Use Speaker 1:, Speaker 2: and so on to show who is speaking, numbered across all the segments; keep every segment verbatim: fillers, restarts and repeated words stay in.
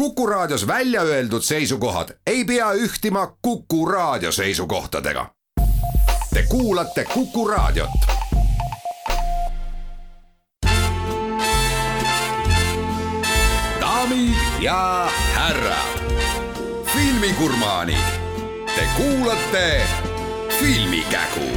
Speaker 1: Kuku Raadios välja öeldud seisukohad ei pea ühtima Kuku Raadio seisukohtadega. Te kuulate Kuku Raadiot. Daamid ja härrad, filmigurmaanid, te kuulate Filmikägu.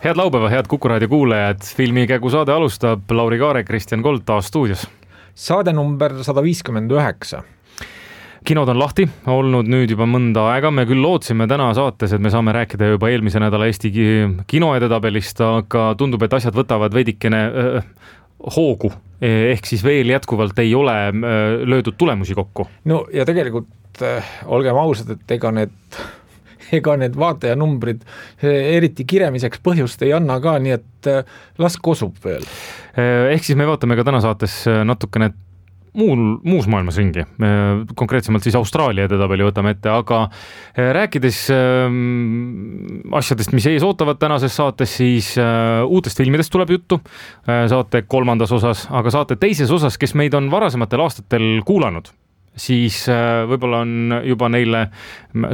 Speaker 2: Head laupäeva, head Kuku Raadio kuulajad, Filmikägu saade alustab. Lauri Kaare, Kristjan Kolt taas stuudios.
Speaker 3: Saade number sada viiskümmend üheksa.
Speaker 2: Kinod on lahti olnud nüüd juba mõnda aega. Me küll lootsime täna saates, et me saame rääkida juba eelmise nädala Eesti kinoedetabelist, aga tundub, et asjad võtavad veidikene äh, hoogu. Ehk siis veel jätkuvalt ei ole äh, löödud tulemusi kokku.
Speaker 3: No ja tegelikult äh, olgem ausad, et ega need... ega need vaatajanumbrid eriti kiremiseks põhjust ei anna ka, nii et las kosub veel.
Speaker 2: Ehk siis me vaatame ka täna saates natukene muul, muus maailmas ringi. Konkreetsemalt siis Austraalia edetabeli võtame ette, aga rääkides asjadest, mis ees ootavad tänases saates, siis uutest filmidest tuleb juttu saate kolmandas osas, aga saate teises osas, kes meid on varasematel aastatel kuulanud, siis võib-olla on juba neile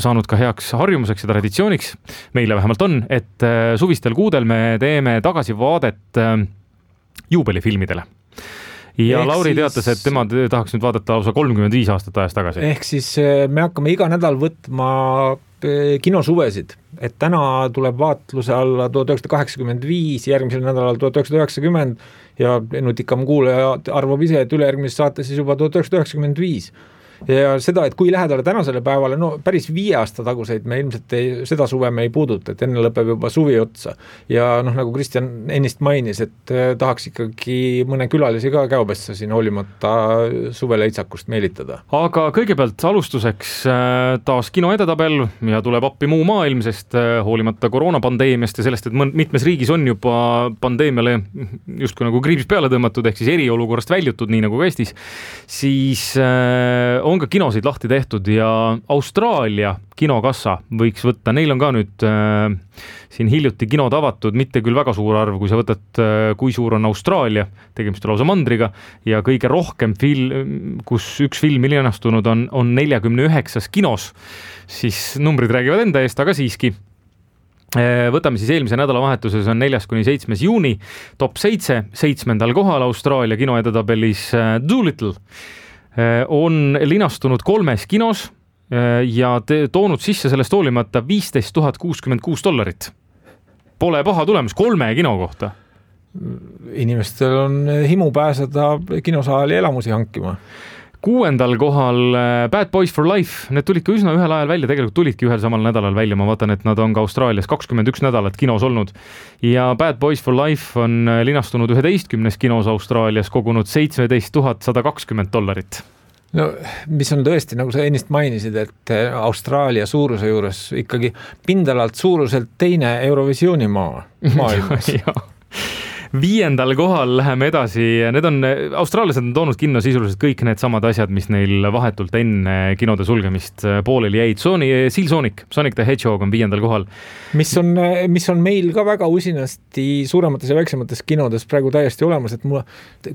Speaker 2: saanud ka heaks harjumuseks ja traditsiooniks, meile vähemalt on, et suvistel kuudel me teeme tagasivaadet juubelifilmidele. Ja ehk Lauri siis... teatas, et tema tahaks nüüd vaadata lausa kolmkümmend viis aastat ajast tagasi.
Speaker 3: Ehk siis me hakkame iga nädal võtma kinosuvesid, et täna tuleb vaatluse alla tuhat üheksasada kaheksakümmend viis, järgmisel nädalal tuhat üheksasada üheksakümmend ja nutikam kuulaja arvab ise, et ülejärgmises saates siis juba tuhat üheksasada üheksakümmend viis. Ja seda, et kui lähedale tänasele päevale, no päris viie aasta taguseid me ilmselt ei, seda suve me ei puuduta, et enne lõpeb juba suvi otsa. Ja noh, nagu Kristjan ennist mainis, et tahaks ikkagi mõne külalisi ka käobessa siin hoolimata suveleitsakust meelitada.
Speaker 2: Aga kõigepealt alustuseks taas kinoedetabel ja tuleb appi muu maailm, sest hoolimata koroonapandeemiast ja sellest, et mitmes riigis on juba pandeemiale justkui nagu kriips peale tõmmatud, ehk siis eriolukorrast väljutud, nii nagu ka Eestis, siis on ka kinosid lahti tehtud ja Austraalia kinokassa võiks võtta, neil on ka nüüd äh, siin hiljuti kinod avatud, mitte küll väga suur arv, kui sa võtad, äh, kui suur on Austraalia, tegemist on lausa mandriga, ja kõige rohkem film, kus üks film ilinastunud on, on neljakümne üheksas kinos, siis numbrid räägivad enda eest, aga siiski. Võtame siis eelmise nädalavahetuses on neljas kuni seitsmes juuni, top seitse, seitsmendal kohal Austraalia kinoedetabelis Doolittle on linastunud kolmes kinos ja toonud sisse sellest hoolimata viisteist tuhat kuuskümmend kuus dollarit. Pole paha tulemus kolme kino kohta.
Speaker 3: Inimestel on himu pääseda kinosaali elamusi hankima.
Speaker 2: Kuuendal kohal Bad Boys for Life, need tulid ka üsna ühel ajal välja, tegelikult tulidki ühel samal nädalal välja, ma vaatan, et nad on ka Austraalias kakskümmend üks nädalat kinos olnud ja Bad Boys for Life on linastunud üheteistkümnes kinos Austraalias, kogunud seitseteist tuhat sada kakskümmend dollarit.
Speaker 3: No, mis on tõesti, nagu sa ennist mainisid, et Austraalia suuruse juures ikkagi pindalalt suuruselt teine Eurovisiooni maa maailmas.
Speaker 2: Viiendal kohal läheme edasi, need on, austraallased on toonud kinno sisuliselt kõik need samad asjad, mis neil vahetult enne kinode sulgemist pooleli jäid. Sony, Seal Sonic, Sonic the Hedgehog on viiendal kohal.
Speaker 3: Mis on, mis on meil ka väga usinasti suuremates ja väiksemates kinodes praegu täiesti olemas, et mulle,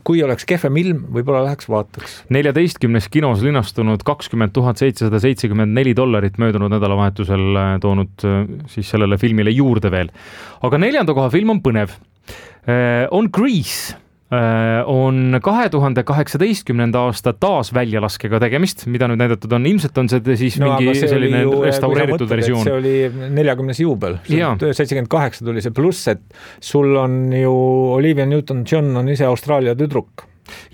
Speaker 3: kui oleks kehvem ilm, võib-olla läheks vaataks.
Speaker 2: neljateistkümnes kinos linastunud kakskümmend tuhat seitsesada seitsekümmend neli dollarit möödunud nädalavahetusel toonud siis sellele filmile juurde veel. Aga neljanda koha film on põnev. On Grease, on kahe tuhande kaheksateistkümnenda aasta taas väljalaskega tegemist, mida nüüd näidatud on, ilmselt on see siis no, mingi see selline ju, restaureeritud mõtled, versioon.
Speaker 3: See oli neljakümnes juubel, seitsekümmend kaheksa tuli see pluss, et sul on ju Olivia Newton-John on ise Austraalia tüdruk.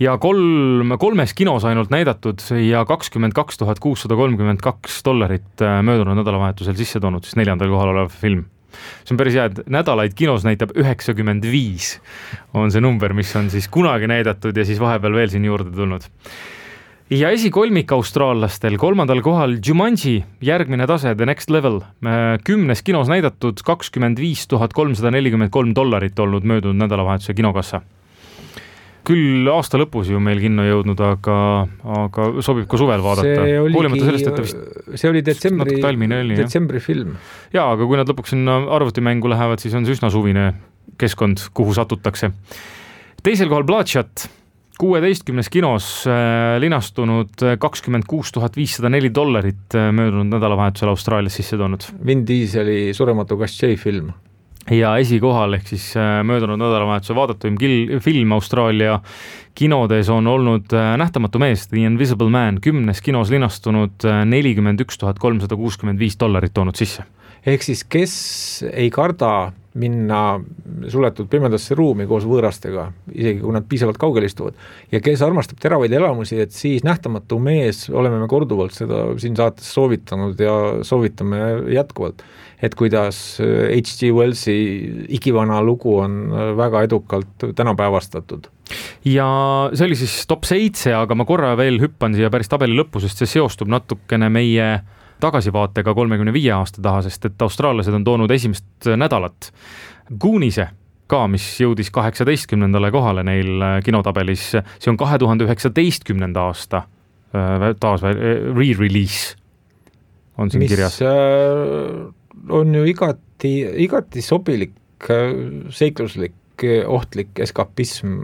Speaker 2: Ja kolm, kolmes kinos ainult näidatud ja kakskümmend kaks tuhat kuussada kolmkümmend kaks dollarit möödunud nädalavahetusel sisse toonud, siis neljandal kohal olev film. See on päris hea, et nädalaid kinos näitab üheksakümmend viis on see number, mis on siis kunagi näidatud ja siis vahepeal veel siin juurde tulnud. Ja esikolmik austraallastel, kolmandal kohal Jumanji, järgmine tase, The Next Level, kümnes kinos näidatud kakskümmend viis tuhat kolmsada nelikümmend kolm dollarit olnud möödunud nädalavahetuse kinokassa. Küll aasta lõpus ju meil kinno jõudnud, aga, aga sobib ka suvel vaadata.
Speaker 3: See oligi, sellest, et vist, see oli detsembri, oli, detsembri film.
Speaker 2: Jaa, aga kui nad lõpuks sinna arvutimängu lähevad, siis on see üsna suvine keskkond, kuhu satutakse. Teisel kohal Bloodshot, kuueteistkümnes kinos linastunud kakskümmend kuus tuhat viissada neli dollarit möödunud nädalavahetusel Austraalias sisse toonud.
Speaker 3: Vin Dieseli Surematu Kassei film.
Speaker 2: Ja esikohal ehk siis möödunud nädalavahetuse vaadatuim film Austraalia kinodes on olnud Nähtamatu mees, The Invisible Man, kümnes kinos linastunud nelikümmend üks tuhat kolmsada kuuskümmend viis dollarit toonud sisse.
Speaker 3: Ehk siis, kes ei karda minna suletud pimedasse ruumi koos võõrastega, isegi kui nad piisavalt kaugel istuvad, ja kes armastab teravaid elamusi, et siis Nähtamatu mees, oleme me korduvalt seda siin saates soovitanud ja soovitame jätkuvalt, et kuidas H G Wellsi igivana lugu on väga edukalt tänapäevastatud.
Speaker 2: Ja see oli siis top seitse, aga ma korra veel hüppan siia päris tabeli lõppu, sest see seostub natukene meie tagasivaatega kolmekümne viie aasta taha, sest et austraallased on toonud esimest nädalat Gooniese ka, mis jõudis kaheksateistkümnendale kohale neil kinotabelis. See on kahe tuhande üheksateistkümnenda aasta taas re-release on siin
Speaker 3: mis
Speaker 2: kirjas.
Speaker 3: On ju igati, igati sobilik, seikluslik, ohtlik eskapism,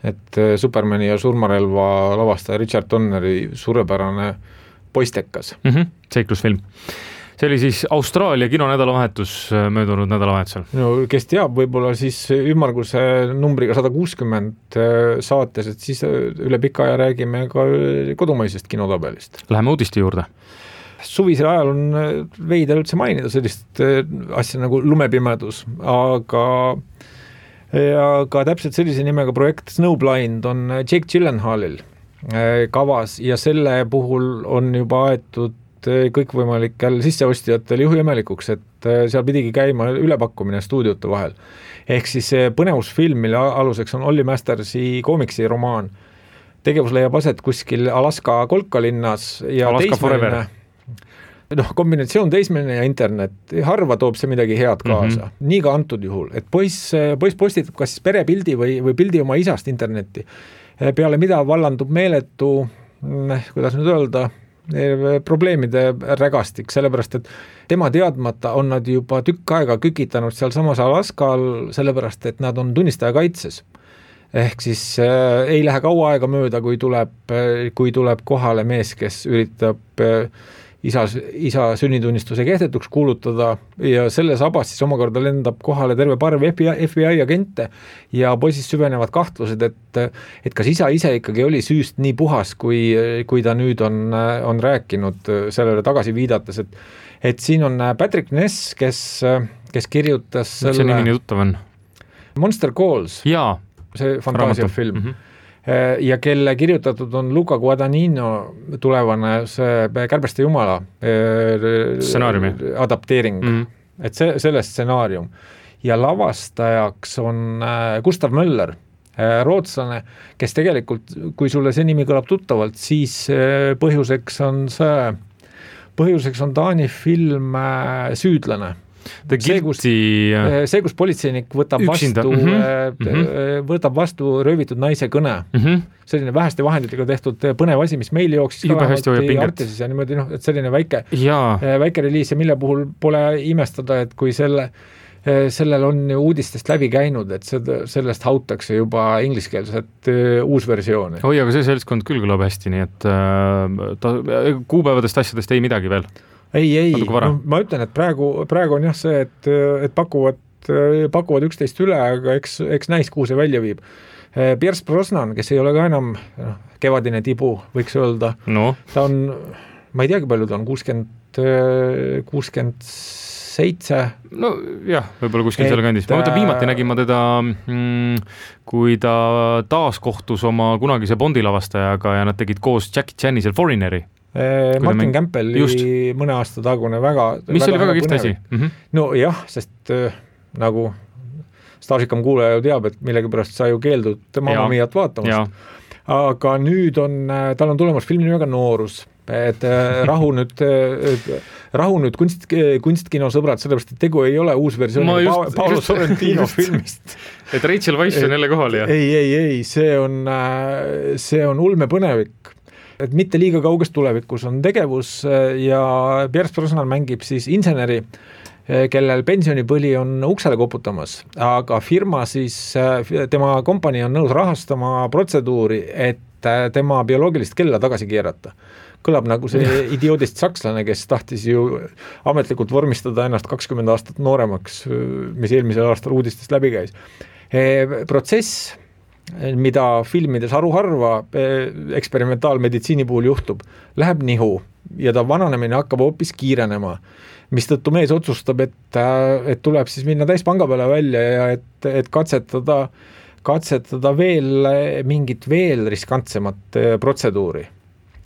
Speaker 3: et Supermani ja surmarelva lavastaja Richard Donneri suurepärane poistekas.
Speaker 2: Mm-hmm, seiklusfilm. See oli siis Austraalia kinonädalavahetus möödunud nädalavahetusel.
Speaker 3: No kes teab, võib-olla siis ümmarguse numbriga sada kuuskümmend saates, et siis üle pika aja räägime ka kodumaisest kinotabelist.
Speaker 2: Läheme uudiste juurde.
Speaker 3: Suvisel ajal on veidel üldse mainida sellist asja nagu lumepimedus, aga aga täpselt sellise nimega projekt Snowblind on Jake Gyllenhaalil kavas ja selle puhul on juba aetud kõikvõimalikel sisseostjatel juhuemelikuks, et seal pidigi käima ülepakkumine stuudiote vahel. Ehk siis põnevusfilm, mille aluseks on Olli Mastersi koomiksi romaan. Tegevus leiab aset kuskil Alaska kolkalinnas ja
Speaker 2: Alaska Forever.
Speaker 3: noh, kombinatsioon teismeline ja internet, harva toob see midagi head kaasa. Mm-hmm. Nii ka antud juhul, et poiss, poiss postitab kas siis perepildi või, või pildi oma isast internetti. Peale mida vallandub meeletu, kuidas nüüd öelda, probleemide rägastik, sellepärast, et tema teadmata on nad juba tükk aega kükitanud seal samas Alaskal, sellepärast, et nad on tunnistaja kaitses. Ehk siis äh, ei lähe kaua aega mööda, kui tuleb, kui tuleb kohale mees, kes üritab äh, isa, isa sünnitunnistuse kehtetuks kuulutada ja selle sabas siis omakorda lendab kohale terve parv F B I, F B I agente ja poisis süvenevad kahtlused, et, et kas isa ise ikkagi oli süüst nii puhas, kui, kui ta nüüd on, on rääkinud sellele tagasi viidates, et, et siin on Patrick Ness, kes, kes kirjutas
Speaker 2: selle... See nimi nii tuttav on?
Speaker 3: Monster Calls.
Speaker 2: Jaa.
Speaker 3: See fantaasiafilm. Mm-hmm. Ja kelle kirjutatud on Luca Guadagnino tulevane see Kärbeste jumala
Speaker 2: stsenaariumi
Speaker 3: adapteering, mm-hmm. et see, selle stsenaarium. Ja lavastajaks on Gustav Möller, rootslane, kes tegelikult, kui sulle see nimi kõlab tuttavalt, siis põhjuseks on see, põhjuseks on Taani film Süüdlane. See kus, see, kus politseinik võtab
Speaker 2: üksinda.
Speaker 3: vastu,
Speaker 2: mm-hmm.
Speaker 3: võtab vastu röövitud naise kõne.
Speaker 2: Mm-hmm.
Speaker 3: Selline väheste vahenditega tehtud põnev asi, mis meil jooksis
Speaker 2: juba hästi hoiab pinget.
Speaker 3: Ja niimoodi, noh, et selline väike,
Speaker 2: Jaa.
Speaker 3: väike reliis ja mille puhul pole imestada, et kui selle, sellel on uudistest läbi käinud, et seda, sellest hautakse juba ingliskeelset uus versiooni.
Speaker 2: Oi, aga see seltskond küll kõlab hästi, nii et ta, kuupäevadest asjadest ei midagi veel.
Speaker 3: Ei, ei, no, ma ütlen, et praegu, praegu on jah see, et, et pakuvad, pakuvad üksteist üle, aga eks, eks näis, kuhu see välja viib. Pierce Brosnan, kes ei ole ka enam no, kevadine tibu, võiks öelda.
Speaker 2: No.
Speaker 3: Ta on, ma ei teagi palju ta on, kuuskümmend, kuuskümmend seitse.
Speaker 2: No jah, võib-olla kuskil selle kandis. Ma mõtlen, viimati nägin ma teda, mm, kui ta taas kohtus oma kunagise Bondi lavastajaga ja nad tegid koos Jackie Chanisel Foreigneri.
Speaker 3: Martin Campbelli mõne aasta tagune väga...
Speaker 2: Mis
Speaker 3: väga,
Speaker 2: oli väga kihvt asi?
Speaker 3: Mm-hmm. No jah, sest äh, nagu staažikam kuulaja ju teab, et millegipärast sa ju keeldud Mamma Miat vaatamast. Aga nüüd on, tal on tulemas filmi nimega Noorus, et äh, rahu nüüd, äh, rahu nüüd kunst, kunstkino sõbrad, sellepärast, et tegu ei ole uus versioon pa- Paolo Sorrentino filmist.
Speaker 2: Et Rachel Weisz on jälle kohal, jah?
Speaker 3: Ei, ei, ei, see on, äh, see on ulme põnevik. Et mitte liiga kauges tulevikus on tegevus ja Pierce Brosnan mängib siis inseneri, kellel pensionipõli on uksele koputamas, aga firma siis, tema kompanii on nõus rahastama protseduuri, et tema bioloogilist kella tagasi keerata. Kõlab nagu see idioodist sakslane, kes tahtis ju ametlikult vormistada ennast kakskümmend aastat nooremaks, mis eelmisel aastal uudistest läbi käis. Protsess, mida filmides haruharva eksperimentaalmeditsiini puhul juhtub, läheb nihu ja ta vananemine hakkab hoopis kiirenema, mistõttu mees otsustab, et, et tuleb siis minna täispanga peale välja ja et, et katsetada, katsetada veel mingit veel riskantsemat protseduuri.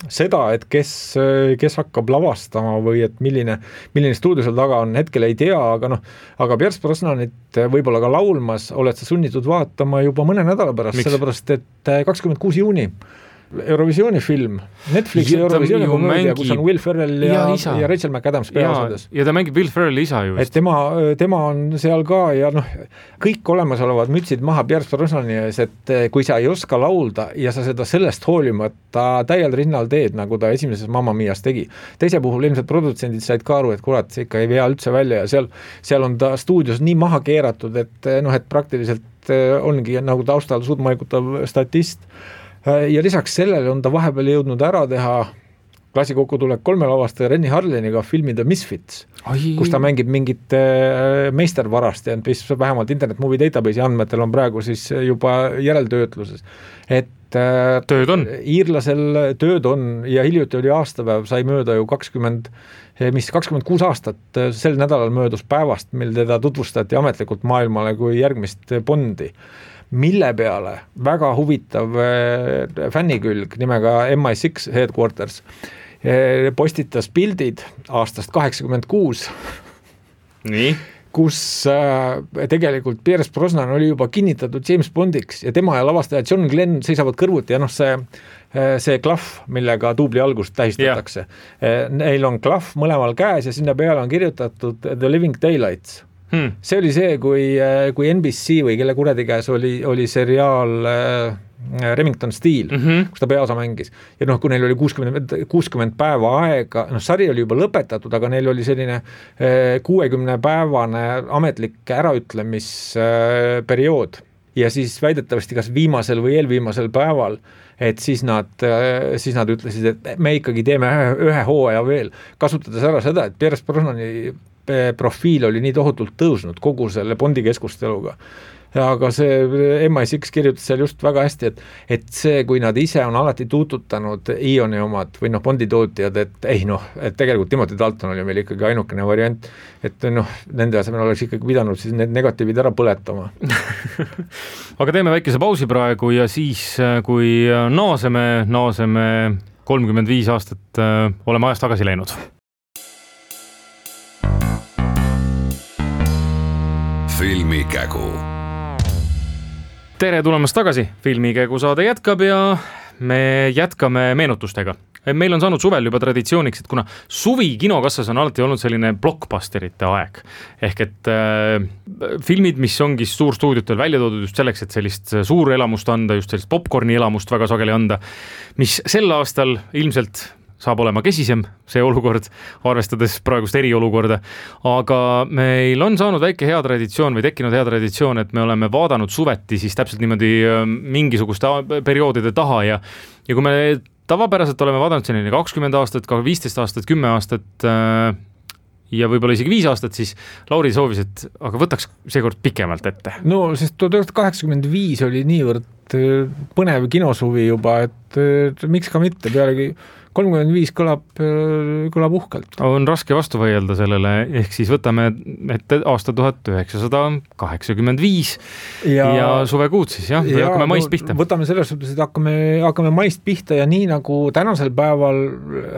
Speaker 3: Seda, et kes, kes hakkab lavastama või et milline, milline stuudio seal taga on, hetkel ei tea, aga noh, aga Pierce Brosnanit võib-olla ka laulmas oled sa sunnitud vaatama juba mõne nädala pärast, sellepärast et kakskümmend kuus juuni Eurovisiooni film, Netflixi Eurovisiooni komöödia, kus on Will Ferrell ja, ja, ja Rachel McAdams peaosades.
Speaker 2: Ja ta mängib Will Ferrelli isa ju.
Speaker 3: Et tema, tema on seal ka ja noh, kõik olemasolevad mütsid maha Pierce Brosnani ees, et kui sa ei oska laulda ja sa seda sellest hoolimata täiel rinnal teed, nagu ta esimeses Mamma Mias tegi. Teise puhul ilmselt produtsendid said ka aru, et kurat, see ikka ei vea üldse välja ja seal, seal on ta stuudios nii maha keeratud, et noh, et praktiliselt ongi nagu taustal suudmaikutav statist. Ja lisaks sellele on ta vahepeal jõudnud ära teha klassikokutulek kolme lavastaja Renny Harliniga filmi The Misfits, Ai. kus ta mängib mingit meistervarast ja mis vähemalt Internet Movie Database'i andmetel on praegu siis juba järeltöötluses. Et
Speaker 2: tööd on.
Speaker 3: Iirlasel tööd on ja hiljuti oli aastapäev, sai mööda ju kakskümmend, mis kakskümmend kuus aastat sel nädalal möödus päevast, mil teda tutvustati ametlikult maailmale kui järgmist Bondi, mille peale väga huvitav fännikülg nimega M I six Headquarters postitas pildid aastast kaheksakümmend kuus,
Speaker 2: nii?
Speaker 3: kus tegelikult Pierce Brosnan oli juba kinnitatud James Bondiks ja tema ja lavastaja John Glenn seisavad kõrvuti ja noh, see, see klahv, millega duubli algust tähistatakse. Yeah. Neil on klahv mõlemal käes ja sinna peale on kirjutatud The Living Daylights. Hmm. See oli see, kui, kui N B C või kelle kuradi käes oli, oli seriaal äh, Remington Steel, mm-hmm. kus ta peaosa mängis. Ja noh, kui neil oli kuuskümmend, kuuskümmend päeva aega, noh, sari oli juba lõpetatud, aga neil oli selline äh, kuuekümne päevane ametlik äraütlemisperiood. Äh, ja siis väidetavasti kas viimasel või eelviimasel päeval, et siis nad, äh, siis nad ütlesid, et me ikkagi teeme ühe, ühe hooaja veel, kasutades ära seda, et Pierce Brosnani profiil oli nii tohutult tõusnud kogu selle Bondi keskusteluga. Aga see M I six kirjutas seal just väga hästi, et, et see, kui nad ise on alati tuututanud Ioni omad või noh, Bondi tootjad, et ei noh, et tegelikult Timothy Dalton oli meil ikkagi ainukene variant, et noh, nende asemel oleks ikkagi pidanud siis need negatiivid ära põletama.
Speaker 2: Aga teeme väikese pausi praegu ja siis, kui naaseme, naaseme kolmkümmend viis aastat oleme ajast tagasi läinud.
Speaker 1: Filmikägu.
Speaker 2: Tere tulemast tagasi, Filmikägu saade jätkab ja me jätkame meenutustega. Meil on saanud suvel juba traditsiooniks, et kuna suvi kinokassas on alati olnud selline blockbusterite aeg, ehk et äh, filmid, mis ongi suurstuudiotel välja toodud just selleks, et sellist suur elamust anda, just sellist popcorni elamust väga sageli anda, mis sel aastal ilmselt saab olema kesisem see olukord, arvestades praegust eriolukorda, aga meil on saanud väike hea traditsioon või tekkinud hea traditsioon, et me oleme vaadanud suveti siis täpselt niimoodi mingisuguste perioodide taha ja, ja kui me tavapäraselt oleme vaadanud selline kakskümmend aastat, ka viisteist aastat, kümme aastat ja võib-olla isegi viis aastat, siis Lauri soovis, et aga võtaks seekord pikemalt ette.
Speaker 3: No, sest tuhat üheksasada kaheksakümmend viis oli niivõrd põnev kinosuvi juba, et miks ka mitte, pealegi kolmkümmend viis kõlab, kõlab uhkelt.
Speaker 2: On raske vastu võidelda sellele, ehk siis võtame ette aasta tuhat üheksasada kaheksakümmend viis ja, ja suvekuud siis, jah, ja, hakkame maist pihta.
Speaker 3: No, võtame selles suhtes, et hakkame, hakkame maist pihta ja nii nagu tänasel päeval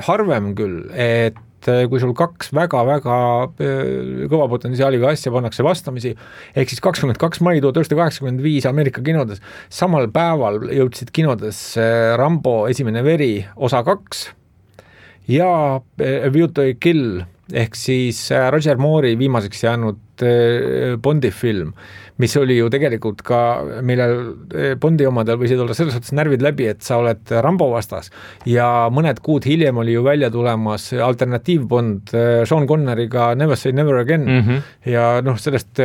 Speaker 3: harvem küll, et kui sul kaks väga-väga kõva potentsiaaliga asja pannakse vastamisi, ehk siis kakskümmend kaks mai tuhat üheksasada kaheksakümmend viis Ameerika kinodes, samal päeval jõudsid kinodes Rambo esimene veri osa kaks ja A View to a Kill ehk siis Roger Moore'i viimaseks jäänud Bondi film, mis oli ju tegelikult ka, millel Bondi omadel võisid olla selles suhtes närvid läbi, et sa oled Rambo vastas ja mõned kuud hiljem oli ju välja tulemas alternatiiv Bond Sean Conneryga Never Say Never Again mm -hmm. ja noh, sellest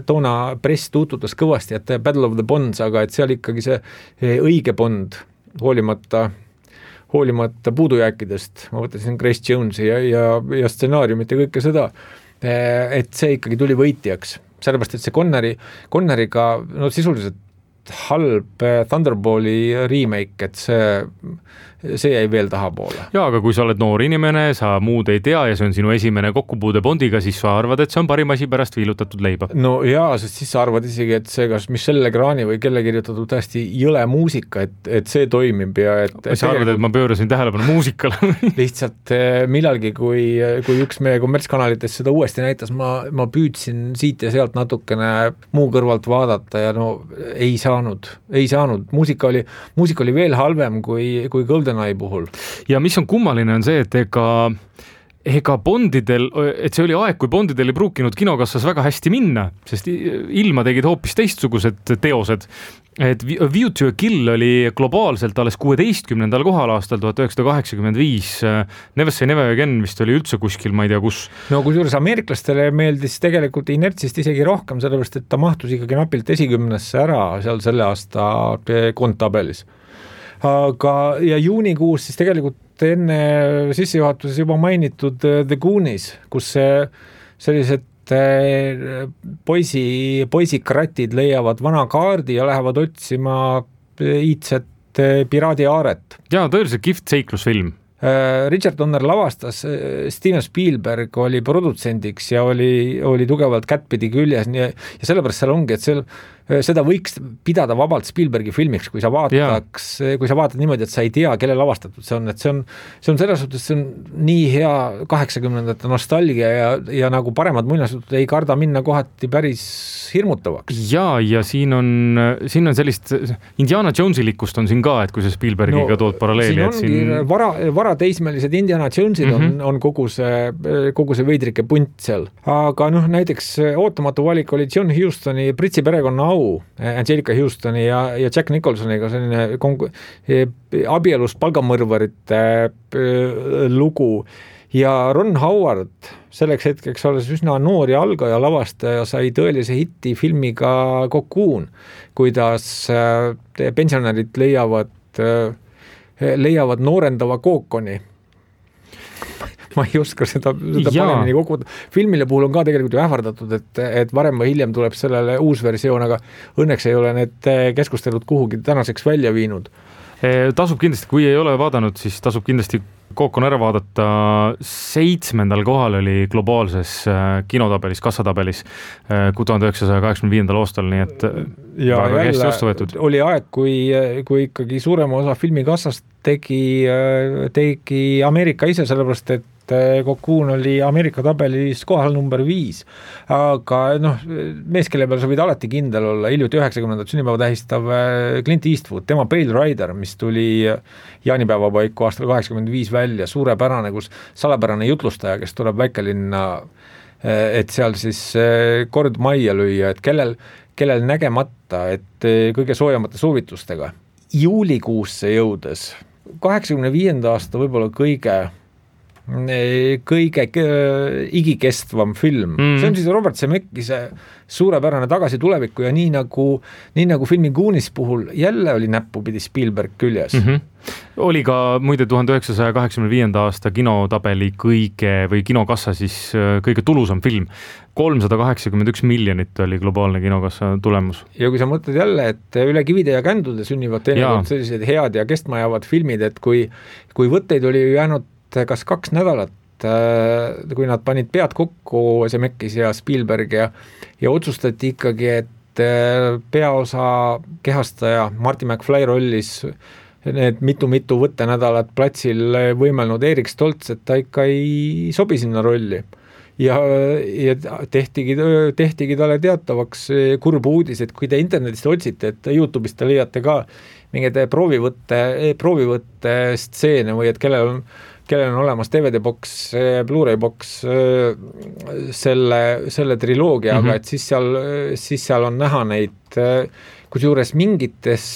Speaker 3: toona press tuututas kõvasti, et Battle of the Bonds, aga et seal ikkagi see õige Bond, hoolimata hoolimata puudujääkidest, ma võtasin Grace Jonesi ja, ja, ja stsenaariumit ja kõike seda, et see ikkagi tuli võitjaks, sellepärast, et see Connery, Conneriga no sisuliselt halb Thunderballi remake, et see, see jäi veel tahapoole.
Speaker 2: Jaa, aga kui sa oled noor inimene, sa muud ei tea ja see on sinu esimene kokkupuude Bondiga, siis sa arvad, et see on parim asi pärast viilutatud leiba.
Speaker 3: No jaa, sest siis sa arvad isegi, et see kas Michel Legrani või kelle kirjutatud täiesti jõle muusika, et, et see toimib ja et...
Speaker 2: Sa et arvad, et ma pöörasin tähelepanu muusikale?
Speaker 3: Lihtsalt millalgi, kui, kui üks meie kommertskanalites seda uuesti näitas, ma, ma püüdsin siit ja sealt natukene muu kõrvalt vaadata ja no ei saanud, ei saanud. Muusika oli, muusika oli veel halvem kui, kui Golden puhul.
Speaker 2: Ja mis on kummaline on see, et ega, ega Bondidel, et see oli aeg, kui Bondidel ei pruukinud kinokassas väga hästi minna, sest ilma tegid hoopis teistsugused teosed. Et View to a Kill oli globaalselt alles kuueteistkümnendal kohal aastal tuhat üheksasada kaheksakümmend viis. Never Say Never Again vist oli üldse kuskil, ma ei tea kus.
Speaker 3: No kusjuures ameeriklastele meeldis tegelikult inertsist isegi rohkem, sellepärast, et ta mahtus ikkagi napilt esikümnesse ära seal selle aasta koondtabelis. Aga ja juunikuus siis tegelikult enne sissejuhatuses juba mainitud The Goonies, kus sellised poisi, poisikratid leiavad vana kaardi ja lähevad otsima iidset piraadi aaret.
Speaker 2: Jaa, tõeliselt kihvt seiklusfilm.
Speaker 3: Richard Donner lavastas, Steven Spielberg oli produtsendiks ja oli, oli tugevalt kättpidi küljes ja, ja sellepärast seal ongi, et seal seda võiks pidada vabalt Spielbergi filmiks, kui sa vaataks, kui sa vaatad niimoodi, et sa ei tea, kelle lavastatud see on, et see on, see on selles suhtes, see on nii hea kaheksakümnendate nostalgia ja, ja nagu paremad muinasjutud ei karda minna kohati päris hirmutavaks.
Speaker 2: Ja, ja siin on, siin on sellist Indiana Jonesilikust on siin ka, et kui see Spielbergiga no, tood paralleeli.
Speaker 3: Siin ongi siin... vara, varateismelised Indiana Jonesid mm -hmm. on, on kogu see, kogu see veidrike punt seal. Aga noh, näiteks ootamatu valik oli John Hustoni Pritsi perekonna au, Angelica Hustoni ja, ja Jack Nicholsoniga selline kongu, abielust palgamõrvarite lugu ja Ron Howard selleks hetkeks olles üsna noor ja algaja lavastaja sai tõelise hitti filmiga Cocoon, kuidas pensionärid leiavad, leiavad noorendava kookoni. Ma ei oska seda, seda paremini kokku. Filmile puhul on ka tegelikult ju ähvardatud, et, et varem või hiljem tuleb sellele uus versioon, aga õnneks ei ole need keskustelud kuhugi tänaseks välja viinud.
Speaker 2: Tasub kindlasti, kui ei ole vaadanud, siis tasub kindlasti Kookon ära vaadata. Seitsmendal kohal oli globaalses kinotabelis, kassatabelis tuhande üheksasaja kaheksakümne viiendal aastal, nii et
Speaker 3: ja väga hästi vastu võetud. Oli aeg, kui, kui ikkagi suurema osa filmikassast tegi, tegi Ameerika ise, sellepärast et Cocoon oli Ameerika tabelis kohal number viis, aga noh, mees, kelle peal sa võid alati kindel olla, hiljuti üheksakümnendat sünnipäeva tähistav Clint Eastwood, tema Pale Rider, mis tuli jaanipäeva paiku aastal kaheksakümmend viis välja, suurepärane, kus salapärane jutlustaja, kes tuleb väikelinna, et seal siis kord majja lüüa, et kellel, kellel nägemata, et kõige soojamate soovitustega juulikuusse jõudes, kaheksakümne viienda aasta võib-olla kõige kõige igikestvam film. Mm. See on siis Robert Zemeckise suurepärane Tagasi tulevikku ja nii nagu, nii nagu filmi Goonies puhul jälle oli näppupidi Spielberg küljes.
Speaker 2: Mm-hmm. Oli ka muide tuhande üheksasaja kaheksakümne viienda aasta kinotabeli kõige või kinokassa siis kõige tulusam film. kolmsada kaheksakümmend üks miljonit oli globaalne kinokassa tulemus.
Speaker 3: Ja kui sa mõtled jälle, et üle kivide ja kändude sünnivad teinekord sellised head ja kestmajavad filmid, et kui, kui võtteid oli jäänud kas kaks nädalat, kui nad panid pead kokku Zemeckis ja Spielberg ja, ja otsustati ikkagi, et peaosa kehastaja Marty McFly rollis need mitu-mitu võttenädalat platsil võimelnud Erik Stoltz, et ta ikka ei sobi sinna rolli. Ja, ja tehtigi, tehtigi talle teatavaks kurb uudis, et kui te internetist otsite, et YouTube'ist te leiate ka mingid proovivõtte, proovivõtte stseene või et kellel on kellel on olemas D V D boks, Blu-ray boks selle, selle triloogiaga mm, -hmm. et siis seal, siis seal on näha neid, kusjuures mingites,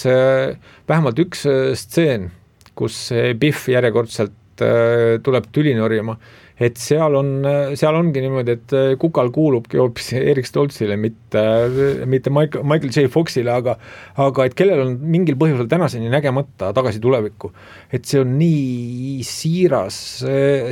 Speaker 3: vähemalt üks stseen, kus Biff järjekordselt tuleb tüli norjama, et seal on, seal ongi niimoodi, et Kukal kuulubki hoopis Erik Stoltzile, mitte, mitte Michael, Michael J. Foxile, aga, aga et kellel on mingil põhjusel tänaseni nägemata Tagasi tulevikku. Et see on nii siiras,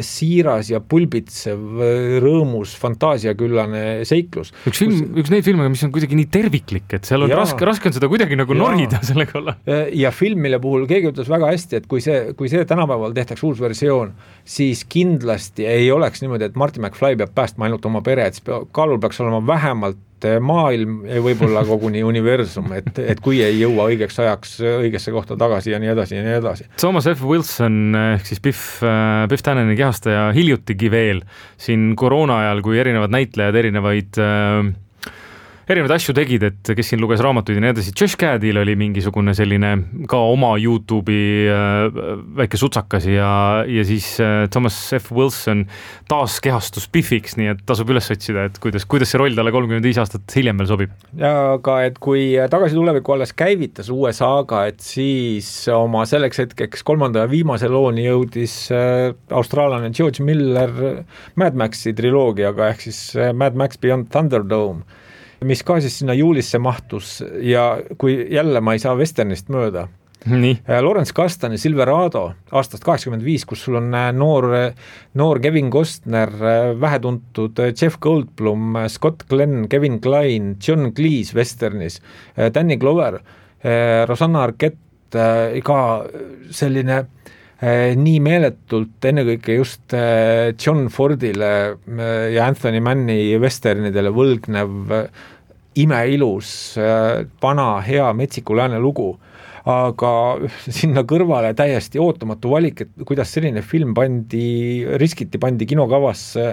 Speaker 3: siiras ja pulbitsev, rõõmus, fantaasiaküllane seiklus.
Speaker 2: Üks, film, kus... üks neid filme, mis on kuidagi nii terviklik, et seal on ja, raske, raske on seda kuidagi nagu ja, norida selle kalla.
Speaker 3: Ja film, mille puhul keegi ütles väga hästi, et kui see, kui see tänapäeval tehtaks uus versioon, siis kindlasti ei oleks niimoodi, et Marty McFly peab päästma ainult oma pere, et kaalul peaks olema vähemalt maailm ja võib-olla koguni universum, et, et kui ei jõua õigeks ajaks õigesse kohta tagasi ja nii edasi ja nii edasi.
Speaker 2: Thomas F. Wilson ehk siis Biff, Biff Tanneni kehastaja hiljutigi veel siin koroona ajal, kui erinevad näitlejad erinevaid äh, erinevaid asju tegid, et kes siin luges raamatuid ja nii edasi. Josh Gadil oli mingisugune selline ka oma YouTube'i äh, väike sutsakas ja, ja siis äh, Thomas F. Wilson taas kehastus Biffiks, nii et tasub üles otsida, et kuidas, kuidas see roll talle kolmkümmend viis aastat hiljem veel sobib.
Speaker 3: Ja aga et kui Tagasi tuleviku alles käivitas uue saaga, et siis oma selleks hetkeks kolmanda ja viimase looni jõudis äh, austraallane George Miller Mad Maxi triloogiaga ehk siis äh, Mad Max Beyond Thunderdome, mis ka siis sinna juulisse mahtus ja kui jälle ma ei saa westernist mööda.
Speaker 2: Nii.
Speaker 3: Lawrence Kastani Silverado aastast kaheksakümmend viis, kus sul on noor, noor Kevin Costner, vähetuntud Jeff Goldblum, Scott Glenn, Kevin Kline, John Cleese westernis, Danny Glover, Rosanna Arquette, ka selline nii meeletult ennekõike just John Fordile ja Anthony Manni westernidele võlgnev imeilus, vana, hea, metsiku lääne lugu. Aga sinna kõrvale täiesti ootamatu valik, et kuidas selline film pandi, riskiti pandi kinokavasse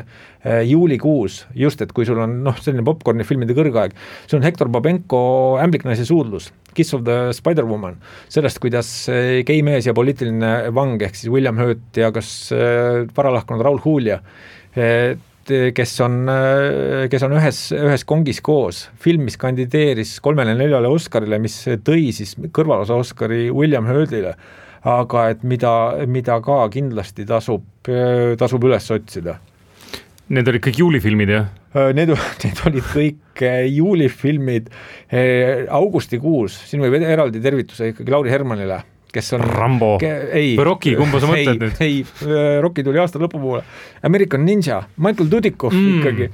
Speaker 3: juulikuus, just et kui sul on noh, selline popcorni filmide kõrgaeg, see on Hector Babenko Ämbliknaise suudlus, Kiss of the Spider-Woman, sellest, kuidas gei mees ja poliitiline vang, ehk siis William Hurt ja kas varalahkunud Raul Julia, kes on, kes on ühes, ühes kongis koos. Film, mis kandideeris kolmele neljale Oscarile, mis tõi siis kõrvalosa Oscari William Hurtile, aga et mida, mida ka kindlasti tasub, tasub üles otsida.
Speaker 2: Need olid kõik juulifilmid, jah?
Speaker 3: Need, need olid kõik juulifilmid augustikuus. Siin võib eraldi tervituse ikkagi Lauri Hermanile, kes on
Speaker 2: Rambo ke, ei, või Rocky, kumba sa mõtled nüüd?
Speaker 3: Ei, Rocky tuli aasta lõpu poole. American Ninja, Michael Dudikoff mm. ikkagi,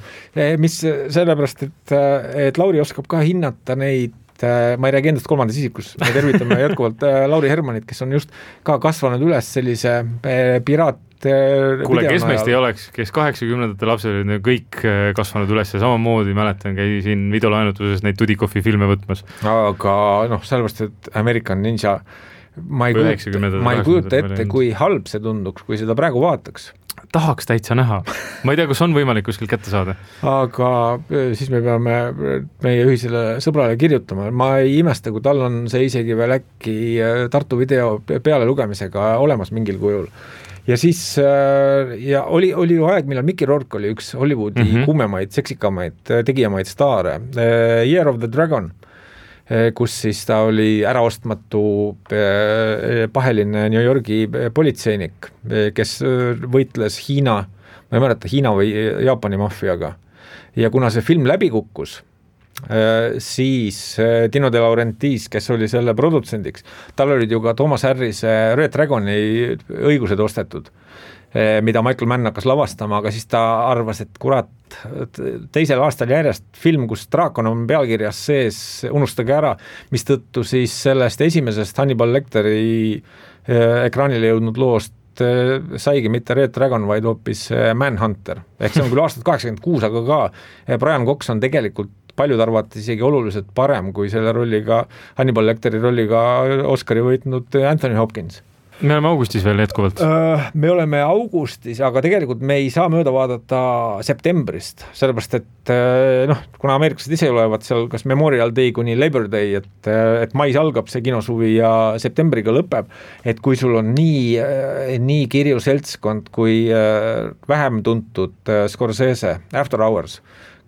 Speaker 3: mis sellepärast, et, et Lauri oskab ka hinnata neid, ma ei räägi endast kolmandas isikus, me tervitame jätkuvalt Lauri Hermanit, kes on just ka kasvanud üles sellise piraat
Speaker 2: kuule, kes meist ei oleks, kes kaheksakümnendate lapsed olid kõik kasvanud üles ja samamoodi mäletan, käisin videolaenutuses neid Dudikoffi filme võtmas.
Speaker 3: Aga noh, sellepärast, et American Ninja ma ei kujuta, ma ei kujuta ette, kui halb see tunduks, kui seda praegu vaataks.
Speaker 2: Tahaks täitsa näha. Ma ei tea, kus on võimalik kuskil kätte saada.
Speaker 3: Aga siis me peame meie ühisele sõbrale kirjutama. Ma ei imesta, kui tal on see isegi veel äkki Tartu video peale lugemisega olemas mingil kujul. Ja siis ja oli, oli ju aeg, millal Mickey Rourke oli üks Hollywoodi mm-hmm. kuumemaid, seksikamaid, tegijamaid staare. Year of the Dragon, kus siis ta oli äraostmatu paheline New Yorgi politseinik, kes võitles Hiina, ma ei mäleta, Hiina või Jaapani maffiaga. Ja kuna see film läbi kukkus, siis Dino De Laurentiis, kes oli selle produtsendiks, tal olid ju ka Thomas Harrise Red Dragoni õigused ostetud, mida Michael Mann hakkas lavastama, aga siis ta arvas, et kurat, teisel aastal järjest film, kus draakon on pealkirjas sees, unustage ära, mis tõttu siis sellest esimesest Hannibal Lecteri ekraanile jõudnud loost saigi mitte Red Dragon, vaid hoopis Manhunter. Ehk see on küll aastat kaheksakümmend kuus, aga ka Brian Cox on tegelikult paljud arvati isegi oluliselt parem kui selle rolliga, Hannibal Lecteri rolliga Oscari võitnud Anthony Hopkins.
Speaker 2: me oleme augustis veel jätkuvalt.
Speaker 3: Me oleme augustis, aga tegelikult me ei saa mööda vaadata septembrist, sellepärast et noh, kuna ameeriklased ise olevat seal kas Memorial Day kuni Labor Day, et, et mais algab see kinosuvi ja septembriga lõpeb, et kui sul on nii, nii kirju seltskond kui vähem tuntud Scorsese After Hours,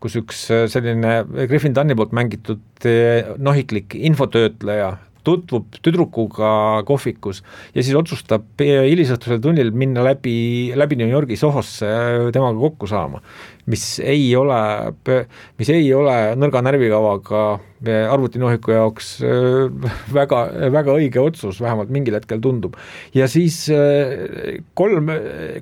Speaker 3: kus üks selline Griffin Dunni poolt mängitud nohiklik infotöötleja tutvub tüdrukuga kohvikus ja siis otsustab hilisõhtusel tunnil minna läbi, läbi New Yorgi Sohosse temaga kokku saama, mis ei ole, mis ei ole nõrga närvikavaga arvutinohiku jaoks väga, väga õige otsus, vähemalt mingil hetkel tundub. Ja siis kolm,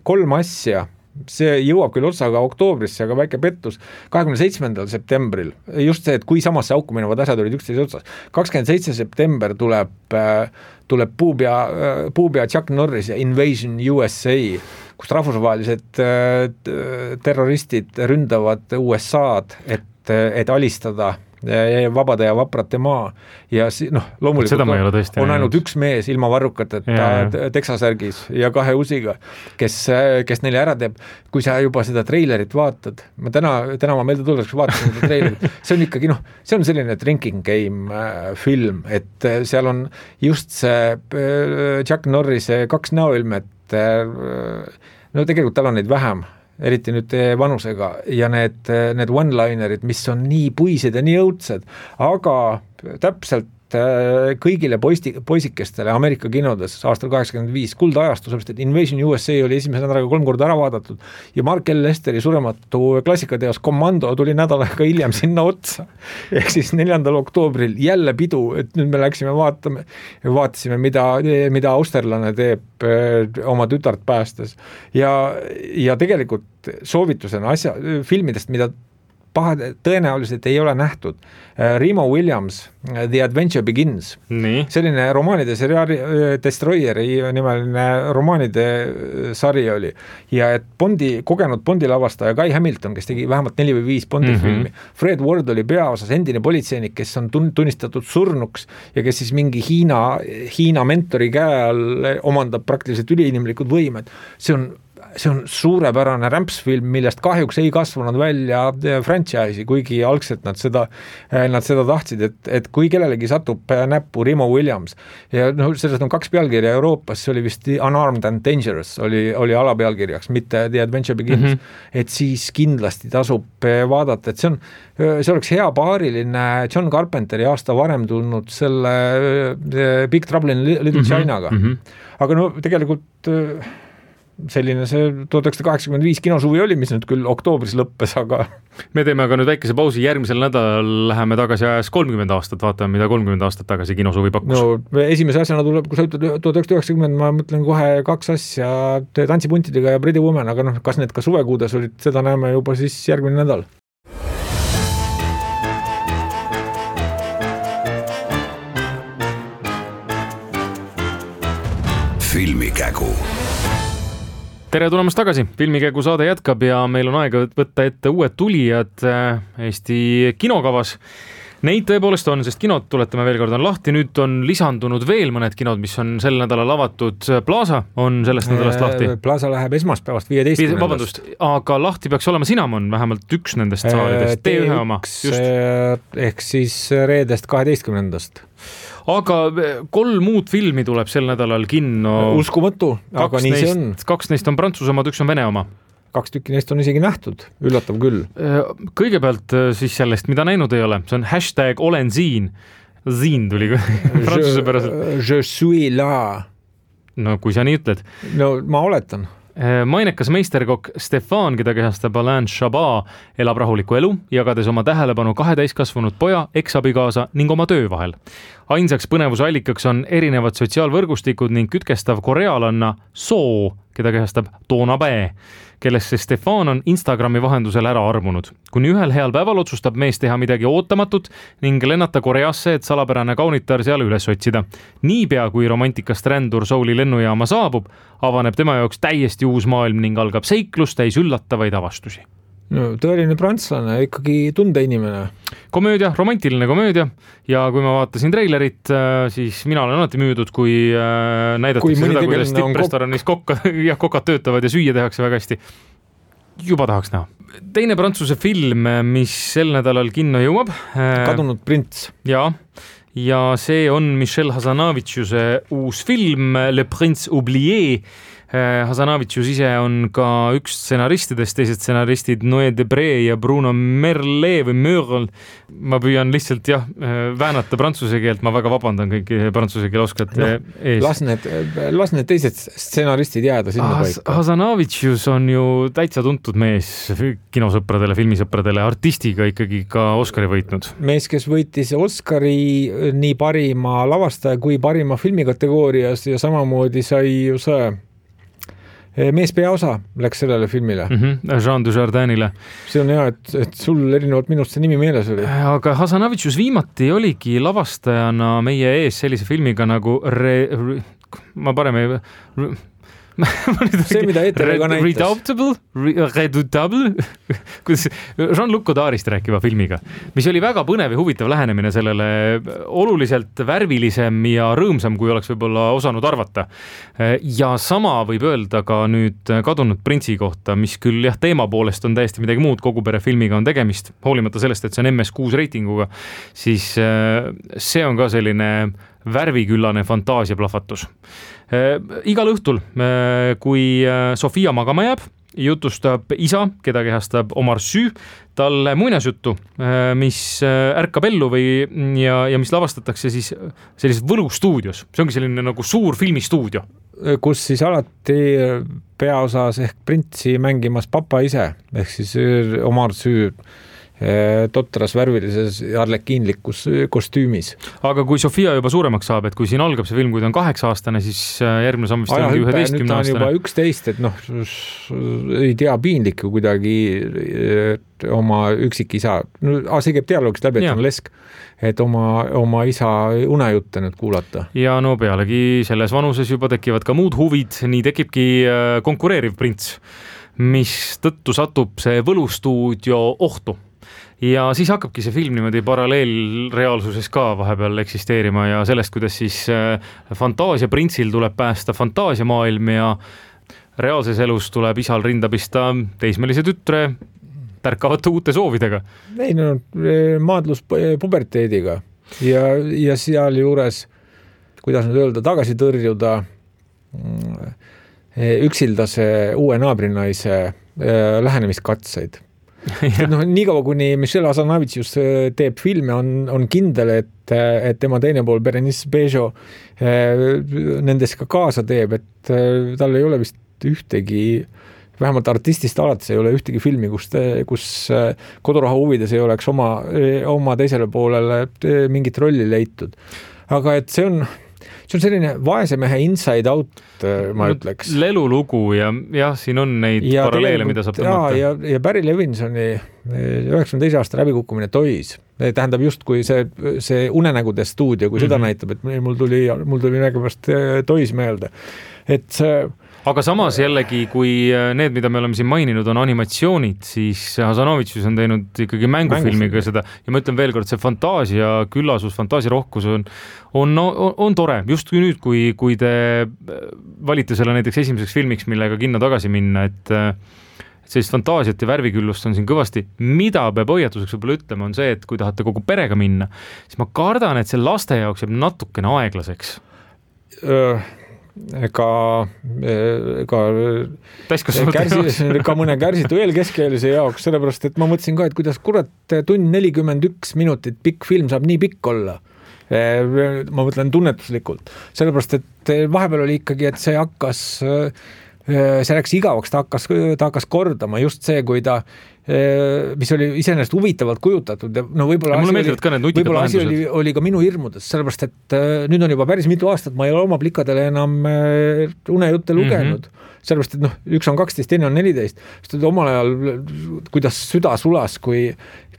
Speaker 3: kolm asja, see jõuab küll otsaga oktoobrisse, aga väike pettus, kahekümne seitsmendal septembril, just see, et kui samasse auku minevad asjad olid üksteise otsas, kakskümmend seitse september tuleb, tuleb puupea, puupea Chuck Norris ja Invasion U S A, kus rahvusvahelised terroristid ründavad U S A-d, et, et alistada vabade ja vaprate maa ja si, noh, loomulikult on, on ainult üks mees ilma varrukateta Texasärgis ja kahe usiga, kes, kes neile ära teeb. Kui sa juba seda treilerit vaatad, ma täna, täna ma meelde tuleks vaatasin seda treilerit, see on ikkagi, noh, see on selline drinking game film, et seal on just see Chuck Norrise kaks näoilmet, no tegelikult tal on neid vähem, eriti nüüd vanusega ja need, need one-linerid, mis on nii puised ja nii õudsed, aga täpselt kõigile poisti, poisikestele Ameerika kinodes aastal kaheksakümmend viis kuldajastu, sellepärast et Invasion U S A oli esimese nädalaga kolm korda ära vaadatud ja Mark L. Lesteri surematu klassikateos Commando tuli nädalaga hiljem sinna otsa. Ehk siis neljandal oktoobril jälle pidu, et nüüd me läksime vaatame, vaatasime, mida, mida austerlane teeb oma tütart päästes. Ja, ja tegelikult soovitusena asja, filmidest, mida paha, tõenäoliselt ei ole nähtud. Remo Williams, The Adventure Begins. Nii. Selline romaanide seriaali Destroyeri nimeline romaanide sari oli. Ja et Bondi, kogenud Bondi lavastaja Guy Hamilton, kes tegi vähemalt neli või viis Bondi mm-hmm. filmi. Fred Ward oli peaosas endine politseinik, kes on tunnistatud surnuks ja kes siis mingi Hiina, Hiina mentori käe all omandab praktiliselt üliinimlikud võimed. See on see on suurepärane rämpsfilm, millest kahjuks ei kasvanud välja franchise'i, kuigi algselt nad seda, nad seda tahtsid, et, et kui kellelegi satub näppu Remo Williams ja no, sellest on kaks pealkirja Euroopas, see oli vist Unarmed and Dangerous, oli, oli alapealkirjaks, mitte The Adventure Begins, mm-hmm. et siis kindlasti tasub vaadata, et see on, see oleks hea paariline John Carpenteri aasta varem tulnud selle Big Trouble in Little mm-hmm. Chinaga, mm-hmm. aga no tegelikult selline see tuhat üheksasada kaheksakümmend viis kinosuvi oli, mis nüüd küll oktoobris lõppes, aga
Speaker 2: me teeme aga nüüd väikese pausi, järgmisel nädalal läheme tagasi ajas kolmkümmend aastat, vaatame, mida kolmkümmend aastat tagasi kinosuvi pakkus.
Speaker 3: No esimese asjana tuleb, kui sa ütled tuhat üheksasada üheksakümmend, ma mõtlen kohe kaks asja Tantsipuntidega ja Pretty Woman, aga noh, kas need ka suvekuudes olid, seda näeme juba siis järgmine nädal.
Speaker 1: Filmikägu.
Speaker 2: Tere tulemast tagasi, Filmikägu saade jätkab ja meil on aega võtta ette uued tulijad Eesti kinokavas. Neid tõepoolest on, sest kinod, tuletame veel kord, on lahti, nüüd on lisandunud veel mõned kinod, mis on sel nädalal avatud. Plaza on sellest nädalast lahti.
Speaker 3: Plaza läheb esmaspäevast viieteistkümnendast.
Speaker 2: Vabandust, aga lahti peaks olema Cinnamon, vähemalt üks nendest saalidest, T ühe oma. Just.
Speaker 3: Ehk siis reedest kaheteistkümnendast.
Speaker 2: Aga kolm muud filmi tuleb sel nädalal kinno.
Speaker 3: Uskumatu, aga nii see on.
Speaker 2: Kaks neist on Prantsuse omad, üks on Vene oma.
Speaker 3: Kaks tükki neist on isegi nähtud, üllatav küll.
Speaker 2: Kõigepealt siis sellest, mida näinud ei ole, see on hashtag olen siin. Siin tuli Prantsuse päraselt.
Speaker 3: Je suis là.
Speaker 2: No kui sa nii ütled.
Speaker 3: No ma oletan.
Speaker 2: Mainekas meisterkokk Stefan, keda kehastab Alain Chabat, elab rahuliku elu, jagades oma tähelepanu kahe täiskasvanud poja, eksabigaasa ning oma töö vahel. Ainsaks põnevuse allikaks on erinevad sotsiaalvõrgustikud ning kütkestav korealanna Soo, keda kehastab Toona Bä, kellesse Stefan on Instagrami vahendusel ära armunud. Kuni ühel heal päeval otsustab mees teha midagi ootamatut ning lennata Koreasse, et salapärane kaunitar seal üles otsida. Niipea kui romantikast rändur Souli lennujaama saabub, avaneb tema jaoks täiesti uus maailm ning algab seiklus täis üllatavaid avastusi.
Speaker 3: no tõeline prantslane, ikkagi tundeinimene.
Speaker 2: Komöödia, romantiline komöödia ja kui ma vaatasin treilerit, siis mina olen alati müüdud, kui näidatakse seda, kuidas tipprestoranis kokka, jah, kokad töötavad ja süüa tehakse väga hästi. Juba tahaks näha. Teine prantsuse film, mis sel nädalal kinno jõuab.
Speaker 3: Kadunud prints.
Speaker 2: Ja, ja see on Michel Hazanaviciuse uus film Le Prince Oublié. Hazanavicius ise on ka üks stsenaristidest, teised stsenaristid Noé Debré ja Bruno Merle või Merle. Ma püüan lihtsalt jah, väänata prantsuse keelt, ma väga vabandan kõiki prantsuse keele oskajate no, ees.
Speaker 3: Las need, las need teised stsenaristid jääda sinna
Speaker 2: Has,
Speaker 3: paika.
Speaker 2: Hazanavicius on ju täitsa tuntud mees kinosõpradele, filmisõpradele, artistiga ikkagi ka Oscari võitnud.
Speaker 3: Mees, kes võitis Oscari nii parima lavastaja kui parima filmi kategoorias ja samamoodi sai ju see mees peaosa läks sellele filmile.
Speaker 2: Mm-hmm, Jean Dujardinile.
Speaker 3: See on hea, et, et sul erinevalt minust see nimi meeles oli.
Speaker 2: Aga Hazanavicius viimati oligi lavastajana meie ees sellise filmiga nagu re, re, ma parem ei... Re,
Speaker 3: see, mida Eeter ka näitas.
Speaker 2: Redoubtable, Redoubtable, kuidas Jean-Luc Godardist rääkiva filmiga, mis oli väga põnev ja huvitav lähenemine sellele, oluliselt värvilisem ja rõõmsam, kui oleks võib-olla osanud arvata. Ja sama võib öelda ka nüüd Kadunud printsi kohta, mis küll jah, teema poolest on täiesti midagi muud, kogu pere filmiga on tegemist, hoolimata sellest, et see on M S kuus reitinguga, siis see on ka selline värviküllane fantaasiaplahvatus. Igal õhtul, kui Sofia magama jääb, jutustab isa, keda kehastab Omar Sy, talle muinasjuttu, mis ärkab ellu või, ja, ja mis lavastatakse siis sellises võlustuudios. See ongi selline nagu suur filmistuudio.
Speaker 3: Kus siis alati peaosas ehk printsi mängimas papa ise, ehk siis Omar Sy totras värvilises arlekiinlikus kostüümis.
Speaker 2: Aga kui Sofia juba suuremaks saab, et kui siin algab see film, kui ta on kaheksa aastane, siis järgmine samm vist ongi üheteistkümne aastane.
Speaker 3: Nüüd ta on juba üksteist, et noh, ei tea piinlik ju kuidagi oma üksikisa. No, see käib dialoogist läbi, et ja. On lesk, et oma, oma isa unejutte nüüd kuulata. Ja
Speaker 2: no pealegi selles vanuses juba tekivad ka muud huvid, nii tekibki konkureeriv prints, mis tõttu satub see võlustuudio ohtu. Ja siis hakkabki see film niimoodi paralleelreaalsuses ka vahepeal eksisteerima ja sellest, kuidas siis fantaasia printsil tuleb päästa fantaasiamaailm ja reaalses elus tuleb isal rinda pista teismelise tütre tärkavate uute soovidega.
Speaker 3: Ei, no maadlus puberteediga ja, ja seal juures, kuidas nüüd öelda, tagasi tõrjuda üksildase uue naabrinaise lähenemiskatseid. No, nii kaua, kuni Michel Hazanavicius teeb filme, on, on kindel, et, et tema teine pool Berenice Bejo nendes ka kaasa teeb, et tal ei ole vist ühtegi, vähemalt artistist alates ei ole ühtegi filmi, kus, kus koduraha huvides ei oleks oma, oma teisele poolele mingit rolli leitud. Aga et see on, see on selline vaese mehe inside out, ma ütleks.
Speaker 2: Lelulugu ja jah, siin on neid ja paralleele, mida saab tõmmata.
Speaker 3: Ja, ja, ja Barry Levinsoni üheksakümne teise aasta läbikukkumine Toys. Tähendab just, kui see, see unenägude stuudio, kui mm-hmm. seda näitab, et mul tuli, mul tuli nägemast Toys meelde. Et see
Speaker 2: Aga samas jällegi, kui need, mida me oleme siin maininud, on animatsioonid, siis Hazanavicius on teinud ikkagi mängufilmiga seda ja ma ütlen veel kord, see fantaasia, küllasus, fantaasiarohkus on, on, on, on tore. Just kui nüüd, kui, kui te valite selle näiteks esimeseks filmiks, millega kinno tagasi minna, et sellist fantaasiat ja värviküllust on siin kõvasti. Mida peab hoiatuseks võib-olla ütlema on see, et kui tahate kogu perega minna, siis ma kardan, et see laste jaoks jääb natukene aeglaseks.
Speaker 3: Öö ega, ega kärsi, ka mõne kärsitu eelkeskeelise jaoks, sellepärast, et ma mõtlesin ka, et kuidas kurat tund nelikümmend üks minutit pikk film saab nii pikk olla. Ma mõtlen tunnetuslikult. Sellepärast, et vahepeal oli ikkagi, et see hakkas, see läks igavaks, ta hakkas, ta hakkas kordama just see, kui ta mis oli iseenesest huvitavalt kujutatud. No võib-olla asi, oli, võib-olla asi oli, oli ka minu hirmudes, sellepärast, et nüüd on juba päris mitu aastat, ma ei ole oma plikadele enam unejutte lugenud. Mm-hmm. Sellepärast, et noh, üks on kaksteist, teine on neliteist. Sest omal ajal, kuidas süda sulas, kui,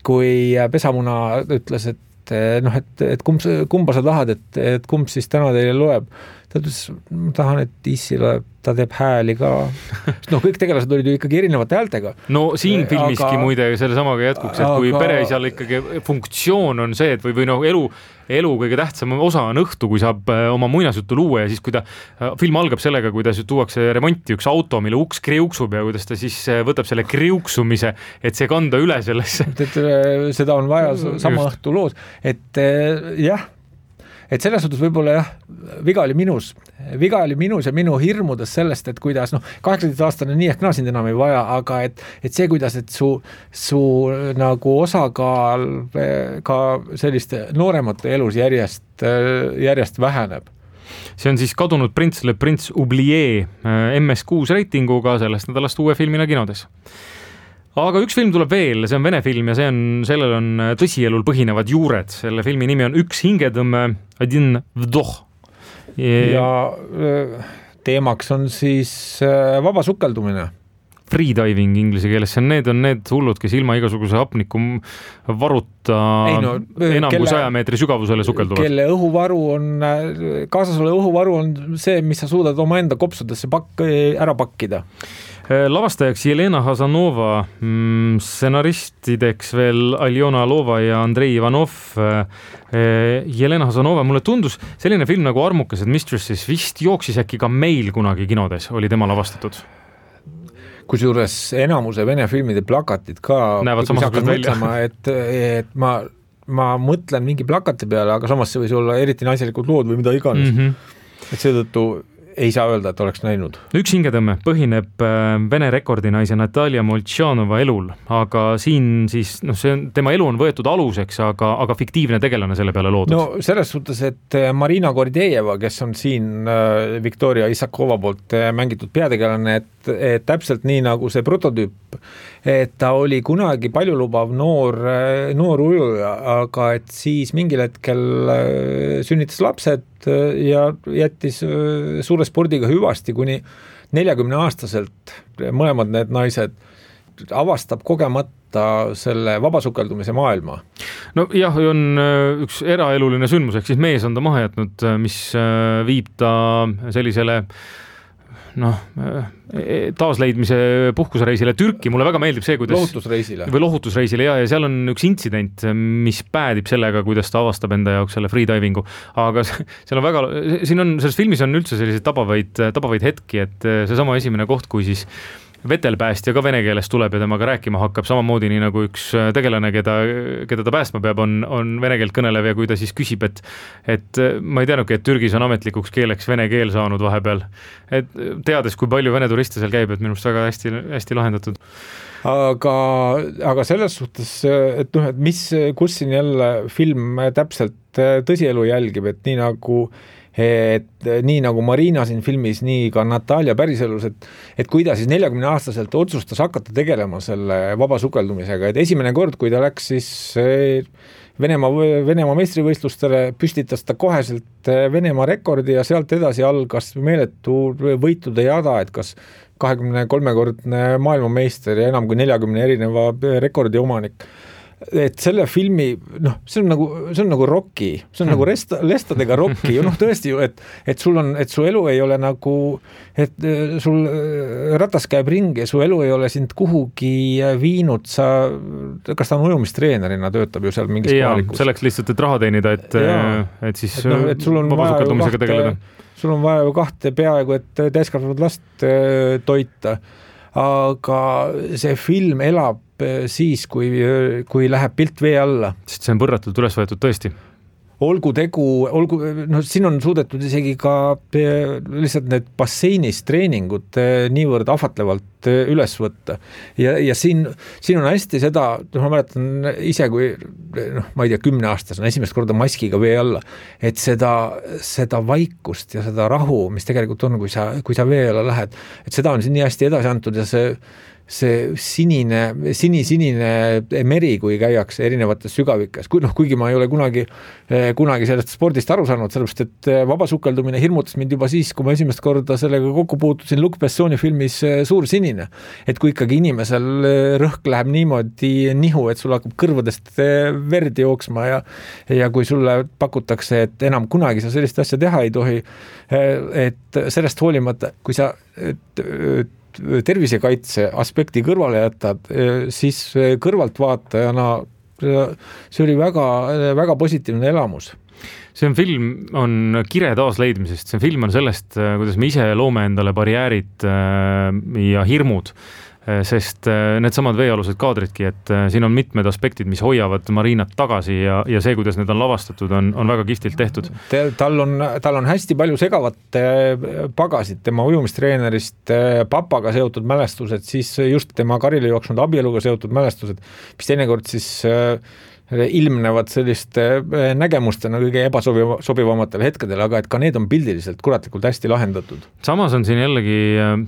Speaker 3: kui pesamuna ütles, et noh, et, et kumb, kumba sa tahad, et, et kumb siis täna teile loeb. ta ütles, ma tahan, et Issile ta teeb hääli ka. noh, kõik tegelased olid ju ikkagi erinevate häältega.
Speaker 2: No siin filmiski aga, muide selle samaga jätkuks, et kui aga, pereisal ikkagi funktsioon on see, et või, või noh, elu, elu kõige tähtsam osa on õhtu, kui saab oma muinasjuttu luua ja siis kui ta, film algab sellega, kuidas tuuakse remonti üks auto, mille uks kriuksub ja kuidas ta siis võtab selle kriuksumise, et see kanda üle sellesse.
Speaker 3: Et seda on vaja sama Just. õhtu loos, et jah, et selles suhtes võib-olla jah, viga oli minus. Viga oli minus ja minu hirmudes sellest, et kuidas, noh, kaheksateist aastane nii ehk naa sind enam ei vaja, aga et, et see, kuidas, et su, su nagu osakaal ka selliste nooremate elus järjest, järjest väheneb.
Speaker 2: See on siis Kadunud prints Le Prince Oublié M S kuus reitinguga sellest nädalast uue filmina kinodes. Aga üks film tuleb veel, see on vene film ja see on, sellel on tõsielul põhinevad juured. Selle filmi nimi on Üks hingetõmme, Один вдох.
Speaker 3: Ja teemaks on siis vaba sukeldumine.
Speaker 2: Freediving inglise keeles, need on need hullud, kes ilma igasuguse hapniku varuta Ei no, enam kelle, kui saja meetri sügavusele sukelduvad.
Speaker 3: Kelle õhuvaru on, kaasas ole õhuvaru on see, mis sa suudad oma enda kopsudesse pakk, ära pakkida.
Speaker 2: Lavastajaks Jelena Hazanova, stsenaristideks veel Aljona Alova ja Andrei Ivanov. Jelena Hazanova, mulle tundus selline film nagu Armukesed Mistresses vist jooksis äkki ka meil kunagi kinodes, oli tema lavastatud.
Speaker 3: Kusjuures enamuse vene filmide plakatid ka
Speaker 2: näevad samasugused välja.
Speaker 3: Mõtlema, et, et ma, ma mõtlen mingi plakati peale, aga samas see võis olla eriti naiselikud lood või mida iganes. Mm-hmm. Et seetõttu ei saa öelda, et oleks näinud.
Speaker 2: Üks hingetõmme põhineb vene rekordinaise Natalia Moltšanova elul, aga siin siis, noh, see on, tema elu on võetud aluseks, aga, aga fiktiivne tegelane selle peale loodud.
Speaker 3: No selles suhtes, et Marina Gordejeva, kes on siin Viktoria Isakova poolt mängitud peategelane, et, et täpselt nii nagu see prototüüp, et ta oli kunagi paljulubav noor, noor ujuja, aga et siis mingil hetkel sünnitas lapsed ja jättis suure spordiga hüvasti kuni neljakümne aastaselt mõlemad need naised avastab kogemata selle vabasukeldumise maailma.
Speaker 2: No jah, on üks eraeluline sündmus, ehk siis mees on ta maha jätnud, mis viib ta sellisele noh, taasleidmise puhkusereisile Türki. Mulle väga meeldib see, kuidas
Speaker 3: lohutusreisile
Speaker 2: või lohutusreisile ja, ja seal on üks intsident, mis päädib sellega, kuidas ta avastab enda jaoks selle freedivingu. Aga seal on väga, siin on, selles filmis on üldse selliseid tabavaid, tabavaid hetki, et see sama esimene koht, kui siis vetelpäästja ka vene keeles tuleb ja temaga rääkima hakkab samamoodi nii nagu üks tegelane, keda, keda ta päästma peab, on, on vene keelt kõnelev ja kui ta siis küsib, et, et ma ei teadnudki, et Türgis on ametlikuks keeleks vene keel saanud vahepeal. Et teades, kui palju vene turiste seal käib, et minu arust väga hästi, hästi lahendatud.
Speaker 3: Aga, aga selles suhtes, et noh, et mis, kus siin jälle film täpselt tõsielu jälgib, et nii nagu et nii nagu Marina siin filmis, nii ka Natalia päriselus, et, et kui ta siis neljakümne aastaselt otsustas hakata tegelema selle vaba sukeldumisega, et esimene kord, kui ta läks siis Venemaa, Venemaa meistrivõistlustele, püstitas ta koheselt Venemaa rekordi ja sealt edasi algas meeletu võitude jada, et kas kahekümne kolmekordne maailmameister ja enam kui neljakümne erineva rekordi omanik. Et selle filmi, noh, see on nagu, see on nagu Rocky, see on hmm. nagu resta, lestadega Rocky, noh tõesti ju, et, et sul on, et su elu ei ole nagu, et sul ratas käib ringi, su elu ei ole sind kuhugi viinud, sa, kas ta on ujumistreenerina töötab ju seal mingis kohalikus.
Speaker 2: Selleks lihtsalt, et raha teenida, et, et siis et no, et sul on vabasukeldumisega tegeleda.
Speaker 3: Sul on vaja ju kahte peaaegu, et täiskasvanud last toita, aga see film elab siis, kui, kui läheb pilt vee alla.
Speaker 2: Sest see on võrratult üles võetud tõesti.
Speaker 3: Olgu tegu, olgu, no siin on suudetud isegi ka lihtsalt need basseinis treeningud niivõrd ahvatlevalt üles võtta. Ja, ja siin, siin on hästi seda, ma mäletan ise, kui noh, ma ei tea, kümne aastas on esimest korda maskiga vee alla, et seda, seda vaikust ja seda rahu, mis tegelikult on, kui sa, kui sa vee alla lähed, et seda on siin nii hästi edasi antud ja see see sinine, sinisinine meri, kui käiakse erinevates sügavikes, kui noh, kuigi ma ei ole kunagi, kunagi sellest spordist aru saanud, sellepärast, et vabasukeldumine hirmutas mind juba siis, kui ma esimest korda sellega kokku puutusin Luc Bessoni filmis Suur sinine. Et kui ikkagi inimesel rõhk läheb niimoodi nihu, et sul hakkab kõrvadest verd jooksma ja, ja kui sulle pakutakse, et enam kunagi sa sellist asja teha ei tohi, et sellest hoolimata, kui sa et, et, tervisekaitse aspekti kõrvale jätad, siis kõrvalt vaatajana see oli väga, väga positiivne elamus.
Speaker 2: See on film, on kire taasleidmisest, see film on sellest, kuidas me ise loome endale barjäärid ja hirmud, sest need samad veealused kaadridki, et siin on mitmed aspektid, mis hoiavad Marinat tagasi ja, ja see, kuidas need on lavastatud, on, on väga kihvtilt tehtud.
Speaker 3: Tal on, tal on hästi palju segavat pagasid, tema ujumistreenerist papaga seotud mälestused, siis just tema karile jooksnud abieluga seotud mälestused, mis teinekord siis ilmnevad selliste nägemustena kõige ebasobivamatel hetkedel, aga et ka need on pildiliselt kuratlikult hästi lahendatud.
Speaker 2: Samas on siin jällegi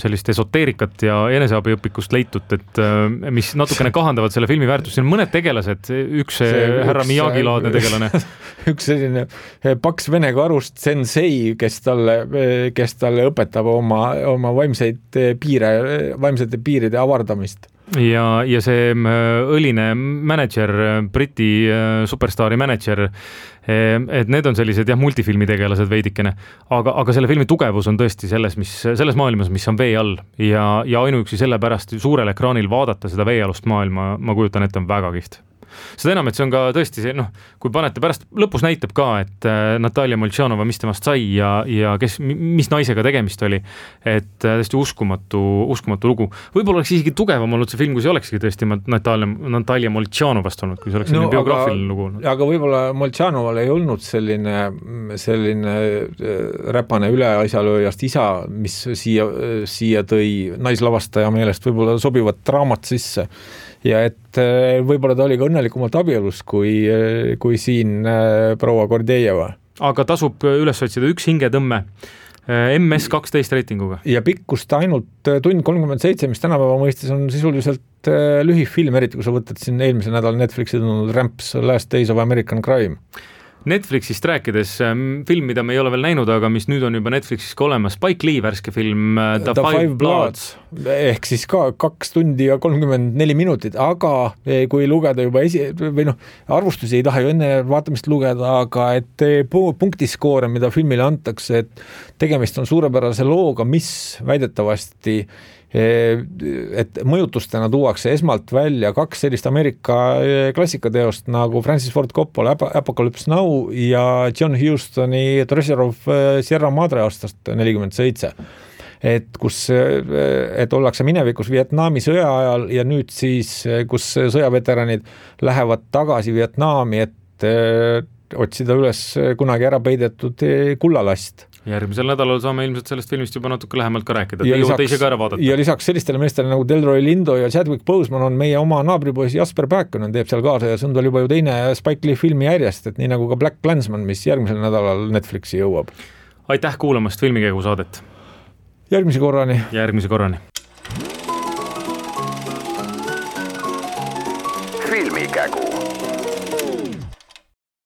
Speaker 2: sellist esoteerikat ja eneseabiõpikust leitud, et mis natukene kahandavad selle filmi väärtust. Siin on mõned tegelased, üks see, härra Miyagi-laadne tegelane.
Speaker 3: üks selline paks vene karust sensei, kes talle, kes talle õpetab oma, oma vaimseid piire, vaimsete piiride avardamist.
Speaker 2: Ja, ja see õline manager, Briti superstaari manager, et need on sellised jah, multifilmi tegelased veidikene, aga, aga selle filmi tugevus on tõesti selles, mis, selles maailmas, mis on vee all ja, ja ainuüksi sellepärast suurel ekraanil vaadata seda veealust maailma, ma kujutan ette, on väga kiht. Seda enam, et see on ka tõesti see, noh, kui panete pärast, lõpus näitab ka, et Natalja Moltšanova, mis temast sai ja, ja kes, mis naisega tegemist oli, et tõesti uskumatu, uskumatu lugu. Võib-olla oleks isegi tugevam olnud see film, kui see olekski tõesti Natalja, Natalja Moltšanovast olnud, kui see oleks no, biograafiline lugu olnud.
Speaker 3: Aga võib-olla Moltšanoval ei olnud selline, selline räpane üleaisalööjast isa, mis siia, siia tõi naislavastaja meelest võib-olla sobivat draamat sisse. Ja et võib-olla ta oli ka õnnelikumalt abielus kui, kui siin proua Kordejeva.
Speaker 2: Aga tasub üles otsida üks hingetõmme M S kaksteist reitinguga.
Speaker 3: Ja pikkust ainult tund kolmkümmend seitse, mis tänapäeva mõistes on sisuliselt lühifilm, eriti kui sa võtad siin eelmise nädal Netflixi tulnud Ramps Last Days of American Crime.
Speaker 2: Netflixist rääkides, film, mida me ei ole veel näinud, aga mis nüüd on juba Netflixis ka olemas, Spike Lee värske film The, The Five, Five Bloods.
Speaker 3: Ehk siis ka kaks tundi ja kolmkümmend neli minutit, aga kui lugeda juba esi, või noh, arvustusi ei taha ju enne vaatamist lugeda, aga et punktiskoore, mida filmile antakse, et tegemist on suurepärase looga, mis väidetavasti et mõjutustena tuuakse esmalt välja kaks sellist Ameerika klassikateost nagu Francis Ford Coppola Apocalypse Now ja John Hustoni Treasure of Sierra Madre aastast nelikümmend seitse. Et kus, et ollakse minevikus Vietnami sõja ajal ja nüüd siis, kus sõjaveteranid lähevad tagasi Vietnami, et otsida üles kunagi ära peidetud kullalast.
Speaker 2: Järgmisel nädalal saame ilmselt sellest filmist juba natuke lähemalt ka rääkida, et jõuate ise ka ära vaadata.
Speaker 3: Ja lisaks sellistele meestele nagu Delroy Lindo ja Chadwick Boseman on meie oma naabripoisi Jasper Pääkkonen teeb seal kaasa ja see on tal juba ju teine Spike Lee filmi järjest, et nii nagu ka Black Klansman, mis järgmisel nädalal Netflixi jõuab.
Speaker 2: Aitäh kuulamast Filmikägu saadet.
Speaker 3: Järgmise korrani.
Speaker 2: Järgmise korrani.
Speaker 1: Filmikägu.